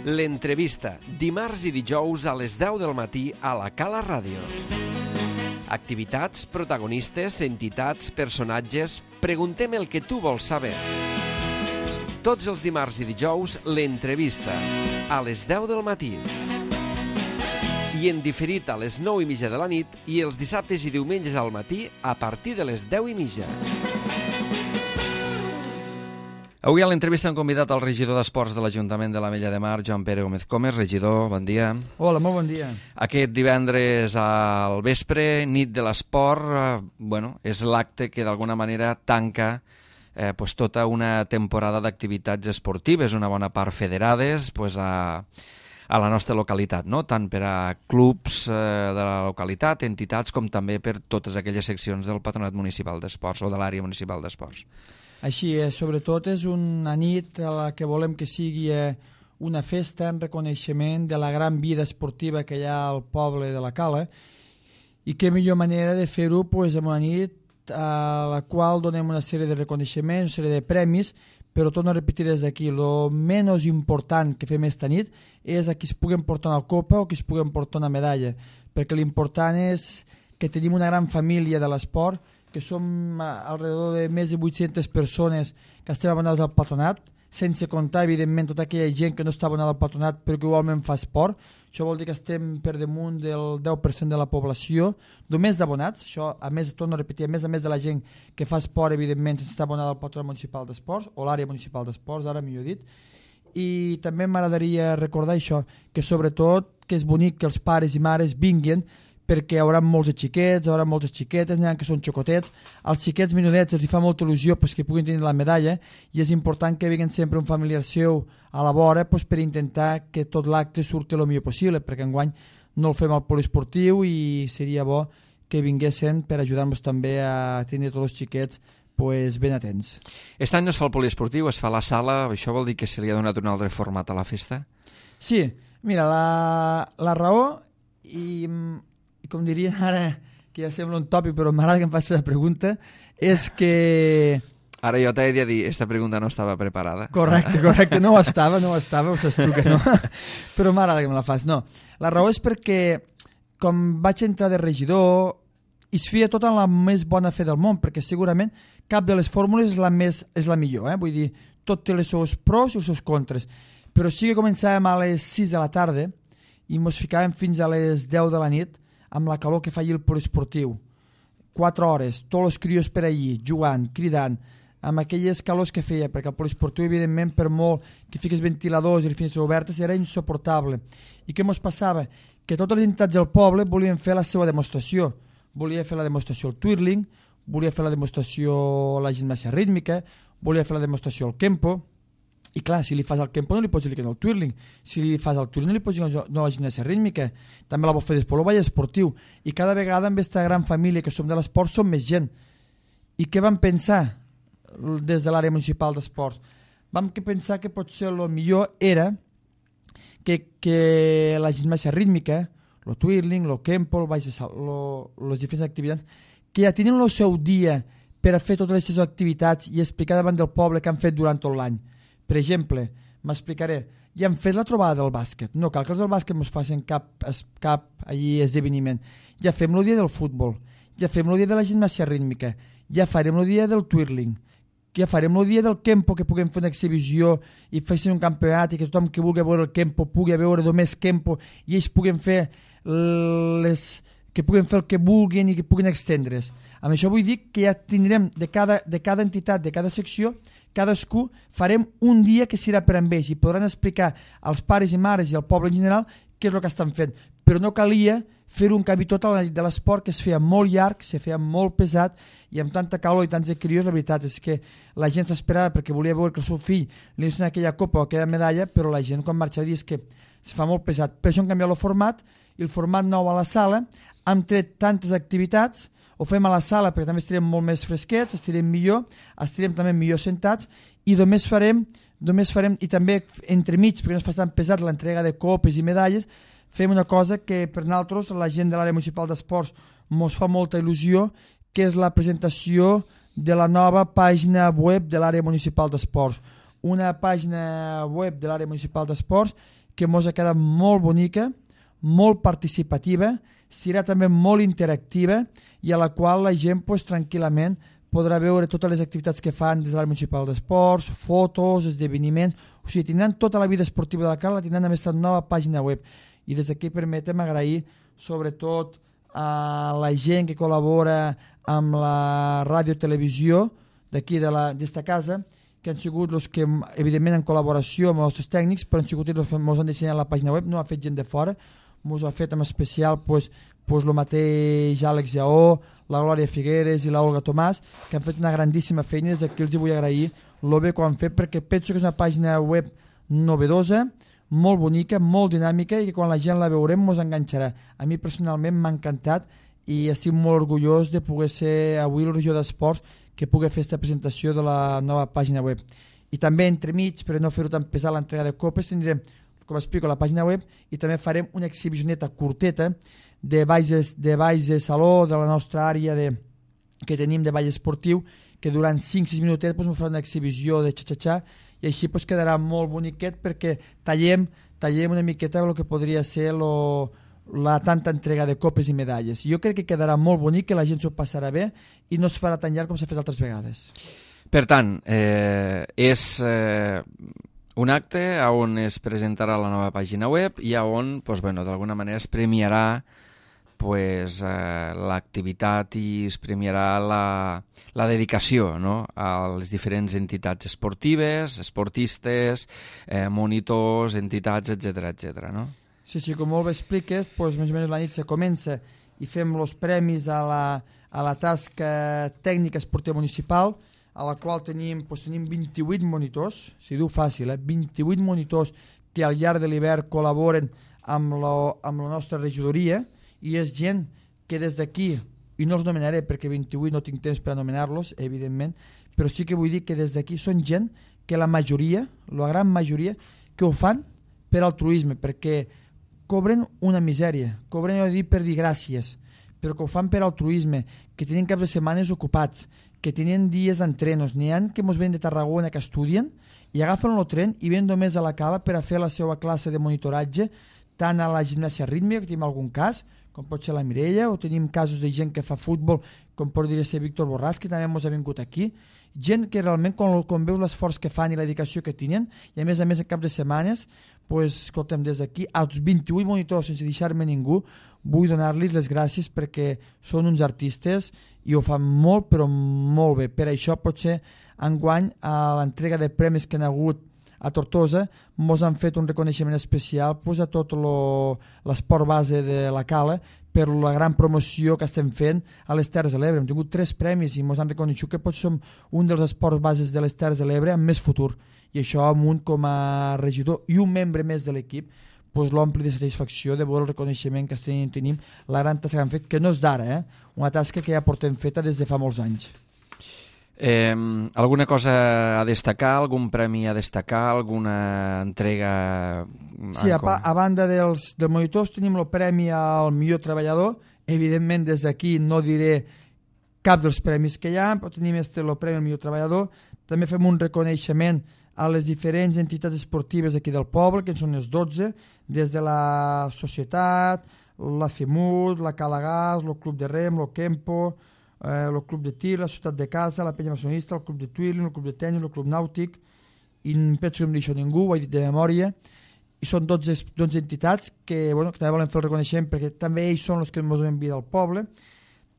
L'entrevista, dimarts i dijous a les 10 del matí a la Cala Ràdio. Activitats, protagonistes, entitats, personatges... Preguntem el que tu vols saber. Tots els dimarts i dijous, l'entrevista, a les 10 del matí. I en diferit a les 9:30 de la nit i els dissabtes i diumenges al matí a partir de les 10:30. Avui a l'entrevista hem convidat el regidor d'Esports de l'Ajuntament de l'Ametlla de Mar, Joan Pere Gómez Comes. Regidor, bon dia. Hola, molt bon dia. Aquest divendres al vespre, nit de l'esport, és l'acte que d'alguna manera tanca tota una temporada d'activitats esportives, una bona part federades a la nostra localitat, no? Tant per a clubs de la localitat, entitats, com també per totes aquelles seccions del Patronat Municipal d'Esports o de l'àrea municipal d'esports. Així és, sobretot és una nit a la que volem que sigui una festa en reconeixement de la gran vida esportiva que hi ha al poble de la Cala, i què millor manera de fer-ho en una nit a la qual donem una sèrie de reconeixements, una sèrie de premis, però torno a repetir des d'aquí, el menys important que fem esta nit és a qui es pugui portar una copa o qui es pugui portar una medalla, perquè l'important és que tenim una gran família de l'esport, que som alrededor de més de 800 persones que estem abonades al patronat, sense comptar, evidentment, tota aquella gent que no està abonada al patronat però que igualment fa esport. Això vol dir que estem per damunt del 10% de la població, només d'abonats. Això, a més, torno a repetir, a més de la gent que fa esport, evidentment, està abonada al patronat municipal d'esports, o l'àrea municipal d'esports, ara millor dit. I també m'agradaria recordar això, que sobretot que és bonic que els pares i mares vinguin, perquè hi haurà molts xiquets, hi haurà moltes xiquetes, n'hi ha que són xocotets. Als xiquets menudets els fa molta il·lusió que puguin tenir la medalla, i és important que vinguin sempre un familiar seu a la vora per intentar que tot l'acte surti el millor possible, perquè enguany no el fem al poliesportiu i seria bo que vinguessin per ajudar-nos també a tenir tots els xiquets ben atents. Aquest any no es fa el poliesportiu, es fa a la sala. Això vol dir que se li ha donat un altre format a la festa? Sí, mira, la raó, i com diria ara, que ja sembla un tòpic, però m'agrada que em faci la pregunta, és que... Ara jo t'he de dir, aquesta pregunta no estava preparada. Correcte, no ho estava, ho saps tu que no, però m'agrada que me la fas. No, la raó és perquè, com vaig entrar de regidor, es feia tot en la més bona fe del món, perquè segurament cap de les fórmules és la millor, vull dir, tot té els seus pros i els seus contres, però sí que començàvem a les 6 de la tarda i ens ficàvem fins a les 10 de la nit, amb la calor que fa allí el poliesportiu. 4 hores, tots els crios per allí, jugant, cridant, amb aquelles calors que feia, perquè el poliesportiu, evidentment, per molt que fiques ventiladors i les finestres obertes, era insuportable. I què ens passava? Que totes les entitats del poble volien fer la seva demostració. Volia fer la demostració el twirling, volia fer la demostració la gimnàsia rítmica, volia fer la demostració el kempo. I clar, si li fas el kempo no li pots dir que no el twirling, si li fas el twirling no li pots dir no la gimnàsia rítmica, també la vol fer després el ball esportiu, i cada vegada amb aquesta gran família que som de l'esport som més gent. I què vam pensar des de l'àrea municipal d'esports? Vam pensar que potser el millor era que la gimnàsia rítmica, el twirling, el kempo, les diferents activitats, que ja tenen el seu dia per a fer totes les seves activitats i explicar davant del poble que han fet durant tot l'any. Per exemple, m'explicaré, ja hem fet la trobada del bàsquet, no cal que els del bàsquet ens facin cap esdeveniment, ja fem el dia del futbol, ja fem el dia de la gimnàsia rítmica, ja farem el dia del twirling, ja farem el dia del kempo, que puguem fer una exhibició i fessin un campionat i que tothom que vulgui veure el kempo pugui veure només kempo i ells puguen fer el que vulguin i que puguin extendre's. Amb això vull dir que ja tindrem de cada entitat, de cada secció, cadascú farem un dia que serà per amb ells i podran explicar als pares i mares i al poble en general què és el que estan fent. Però no calia fer un canvi total a la nit de l'esport, que es feia molt llarg, se feia molt pesat, i amb tanta calor i tants crios, la veritat és que la gent s'esperava perquè volia veure que el seu fill li donessin aquella copa o aquella medalla, però la gent quan marxava dius que se fa molt pesat. Per això hem canviat el format, i el format nou a la sala, hem tret tantes activitats, ho fem a la sala perquè també estirem molt més fresquets, estirem millor, estirem també millor sentats, i només farem, i també entremig, perquè no es fa tan pesat l'entrega de copes i medalles, fem una cosa que per nosaltres, la gent de l'àrea municipal d'esports, ens fa molta il·lusió, que és la presentació de la nova pàgina web de l'àrea municipal d'esports. Una pàgina web de l'àrea municipal d'esports que mos ha quedat molt bonica, molt participativa, serà també molt interactiva i a la qual la gent pues, tranquil·lament podrà veure totes les activitats que fan des de l'àrea municipal d'esports, fotos, esdeveniments, o sigui, tindran tota la vida esportiva de la Cala, la tindran amb aquesta nova pàgina web. I des d'aquí permetem agrair sobretot a la gent que col·labora amb la ràdio-televisió d'aquí d'esta casa, que han sigut els que, evidentment, en col·laboració amb els nostres tècnics, però han sigut els que ens han dissenyat la pàgina web, no ha fet gent de fora, ens ha fet en especial el mateix Àlex Lleó, la Glòria Figueres i la Olga Tomàs, que han fet una grandíssima feina, des d'aquí els vull agrair el bé que ho han fet, perquè penso que és una pàgina web novedosa, molt bonica, molt dinàmica i que quan la gent la veurem ens enganxarà. A mi personalment m'ha encantat i estic molt orgullós de poder ser avui el regidor d'Esports que pugui fer aquesta presentació de la nova pàgina web. I també entremig, per no fer-ho tan pesat l'entrega de copes, tindrem, com explico, la pàgina web i també farem una exhibicioneta curteta de balls de saló de la nostra àrea que tenim de ball esportiu, que durant 5-6 minutets ens farà una exhibició de xa-xa-xa i així quedarà molt boniquet perquè tallem una miqueta el que podria ser la tanta entrega de copes i medalles. Jo crec que quedarà molt bonic, que la gent s'ho passarà bé i no es farà tan llarg com s'ha fet altres vegades. Per tant, és un acte on es presentarà la nova pàgina web i on d'alguna manera es premiarà l'activitat i es premiarà la dedicació, no?, a les diferents entitats esportives, esportistes, monitors, entitats, etc. No? Sí, com molt bé expliques, més o menys la nit se comença i fem els premis a la tasca tècnica esportiva municipal, a la qual tenim 28 monitors, si diu fàcil, 28 monitors que al llarg de l'hivern col·laboren amb la nostra regidoria, i és gent que des d'aquí, i no els nomenaré perquè 28 no tinc temps per anomenar-los, evidentment, però sí que vull dir que des d'aquí són gent que la majoria, la gran majoria, que ho fan per altruisme, perquè cobren una misèria, cobren, per dir gràcies, però que ho fan per altruisme, que tenen caps de setmanes ocupats, que tenen dies d'entrenos. N'hi ha que mos ven de Tarragona que estudien i agafen el tren i ven només a la Cala per a fer la seva classe de monitoratge, tant a la gimnàsia rítmica, que tenim algun cas, com pot ser la Mireia, o tenim casos de gent que fa futbol, com podria ser Víctor Borràs, que també ens ha vingut aquí. Gent que realment, quan veus l'esforç que fan i la dedicació que tenen, i a més en cap de setmanes, escoltem, des d'aquí, als 28 monitors, sense deixar-me ningú, vull donar-los les gràcies perquè són uns artistes i ho fan molt, però molt bé. Per això, potser, enguany, a l'entrega de premis que han hagut a Tortosa, ens han fet un reconeixement especial a tot l'esport base de la Cala per la gran promoció que estem fent a les Terres de l'Ebre. Hem tingut 3 premis i ens han reconegut que potser som un dels esports bases de les Terres de l'Ebre amb més futur. I això, amunt com a regidor i un membre més de l'equip, l'ompli de satisfacció de veure el reconeixement que tenim, la gran tasca que han fet, que no és d'ara, una tasca que ja portem feta des de fa molts anys. Alguna cosa a destacar, algun premi a destacar, alguna entrega? Sí, a banda dels monitors tenim el premi al millor treballador. Evidentment des d'aquí no diré cap dels premis que hi ha, però tenim el premi al millor treballador. També fem un reconeixement a les diferents entitats esportives aquí del poble, que són les 12, des de la Societat, la CEMUT, la Calagàs, el Club de Rem, el Kempo, el Club de Tir, la Ciutat de Casa, la Penya Maçonista, el Club de Twirling, el Club de Tenis, el Club Nàutic, i penso que no em deixo ningú, ho he dit de memòria, i són 12 entitats que també volem fer el reconeixement perquè també ells són els que ens donen vida al poble.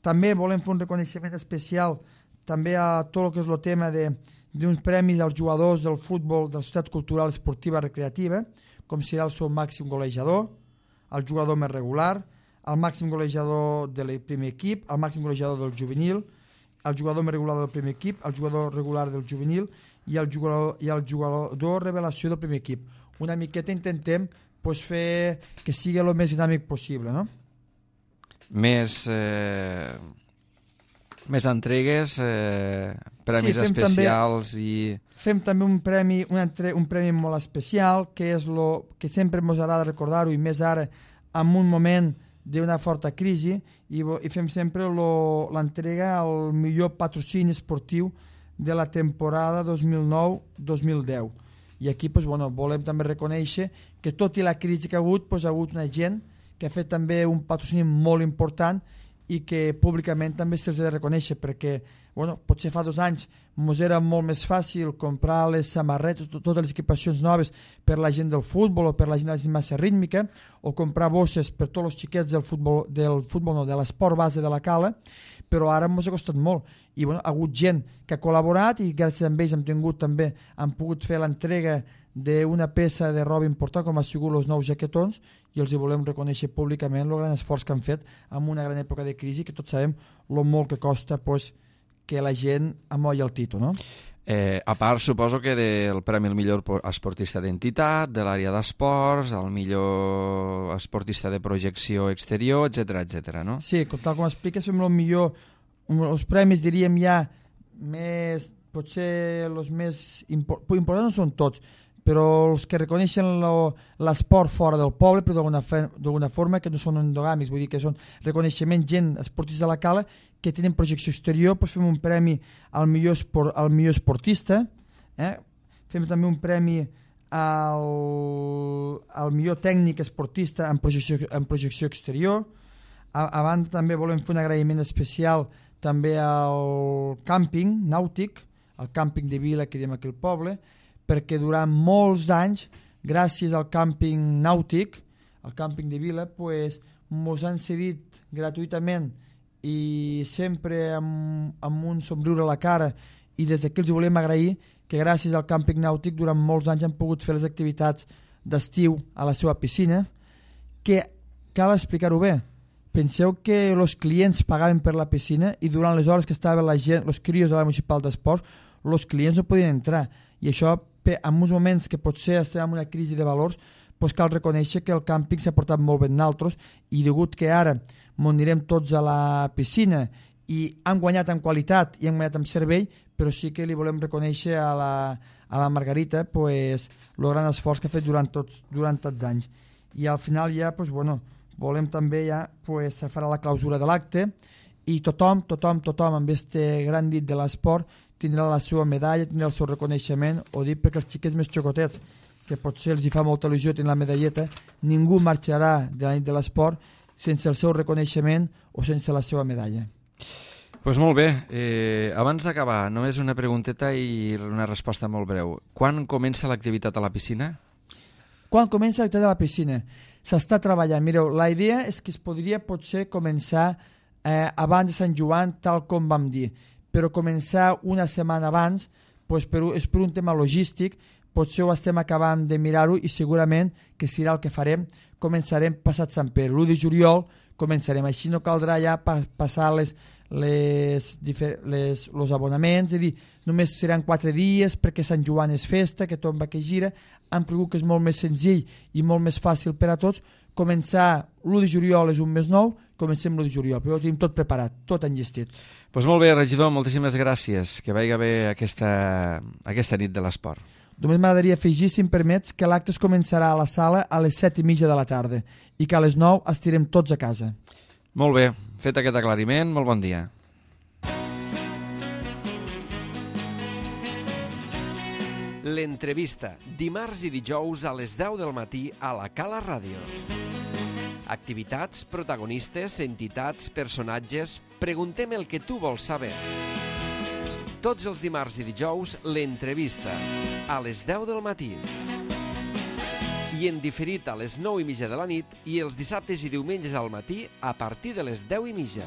També volem fer un reconeixement especial també a tot el que és el tema d'uns premis als jugadors del futbol de la Societat Cultural Esportiva Recreativa, com serà el seu màxim golejador, el jugador més regular, el màxim golejador del primer equip, el màxim golejador del juvenil, el jugador més regular del primer equip, el jugador regular del juvenil i el jugador revelació del primer equip. Una miqueta intentem fer que sigui el més dinàmic possible, no? Més entregues, premis especials i... Fem també un premi molt especial, que és el que sempre ens agrada recordar-ho, i més ara, en un moment d'una forta crisi, i fem sempre l'entrega al millor patrocini esportiu de la temporada 2009-2010. I aquí volem també reconèixer que tot i la crisi que ha hagut una gent que ha fet també un patrocini molt important i que públicament també se'ls ha de reconèixer, perquè potser fa 2 anys ens era molt més fàcil comprar les samarretes, totes les equipacions noves per la gent del futbol o per la gent de la gimnàsia rítmica, o comprar bosses per tots els xiquets de l'esport base de la Cala, però ara ens ha costat molt. I ha hagut gent que ha col·laborat i gràcies a ells han pogut fer l'entrega d'una peça de roba important com ha sigut els nous jaquetons, i els hi volem reconèixer públicament el gran esforç que han fet en una gran època de crisi, que tots sabem el molt que costa que la gent amolla el títol, no? A part, suposo que del premi al millor esportista d'entitat, de l'àrea d'esports, al millor esportista de projecció exterior, etc, no? Sí, tal com expliques, fem el millor, els premis diríem ja més, potser els més importants no són tots, però els que reconeixen l'esport fora del poble, però d'alguna forma que no són endogàmics, vull dir que són reconeixement gent, esportistes de la Cala, que tenen projecció exterior, fem un premi al millor esportista, fem també un premi al millor tècnic esportista en projecció exterior. A banda també volem fer un agraïment especial també al càmping nàutic, al càmping de Vila que diem aquí al poble, perquè durant molts anys, gràcies al càmping nàutic, al càmping de Vila, ens han cedit gratuïtament i sempre amb un somriure a la cara, i des d'aquí els volem agrair que gràcies al càmping nàutic durant molts anys han pogut fer les activitats d'estiu a la seva piscina, que cal explicar-ho bé. Penseu que els clients pagaven per la piscina i durant les hores que estava la gent, els crios de la municipal d'esports, els clients no podien entrar, i això en uns moments que potser estem en una crisi de valors, cal reconèixer que el càmping s'ha portat molt bé en altres, i degut que ara anirem tots a la piscina i han guanyat en qualitat i han guanyat en servei, però sí que li volem reconèixer a la Margarita el gran esforç que ha fet durant tots anys. I al final ja volem també se farà la clausura de l'acte i tothom amb aquest gran dit de l'esport tindrà la seva medalla, tindrà el seu reconeixement, ho dic perquè els xiquets més xocotets, que potser els hi fa molta il·lusió tenir la medalleta, ningú marxarà de la nit de l'esport sense el seu reconeixement o sense la seva medalla. Doncs molt bé, abans d'acabar, només una pregunteta i una resposta molt breu. Quan comença l'activitat a la piscina? Quan comença l'activitat a la piscina? S'està treballant. Mireu, la idea és que es podria potser començar abans de Sant Joan, tal com vam dir, però començar una setmana abans és per un tema logístic, potser ho estem acabant de mirar-ho i segurament que serà el que farem. Començarem passat Sant Pere, l'1 de juliol començarem, així no caldrà ja passar els abonaments, és a dir, només seran 4 dies perquè Sant Joan és festa, que tot va que gira. Hem cregut que és molt més senzill i molt més fàcil per a tots. Començar l'1 de juliol és un mes nou, comencem l'1 de juliol, però ho tenim tot preparat, tot enllestit. Doncs molt bé, regidor, moltíssimes gràcies. Que vagi bé aquesta nit de l'esport. Només m'agradaria afegir, si em permets, que l'acte es començarà a la sala a les 7:30 de la tarda i que a les 9 estirem tots a casa. Molt bé, fet aquest aclariment, molt bon dia. L'entrevista, dimarts i dijous a les 10 del matí a la Cala Ràdio. Activitats, protagonistes, entitats, personatges... Preguntem el que tu vols saber. Tots els dimarts i dijous, l'entrevista, a les 10 del matí. I en diferit a les 9:30 de la nit i els dissabtes i diumenges al matí a partir de les 10:30.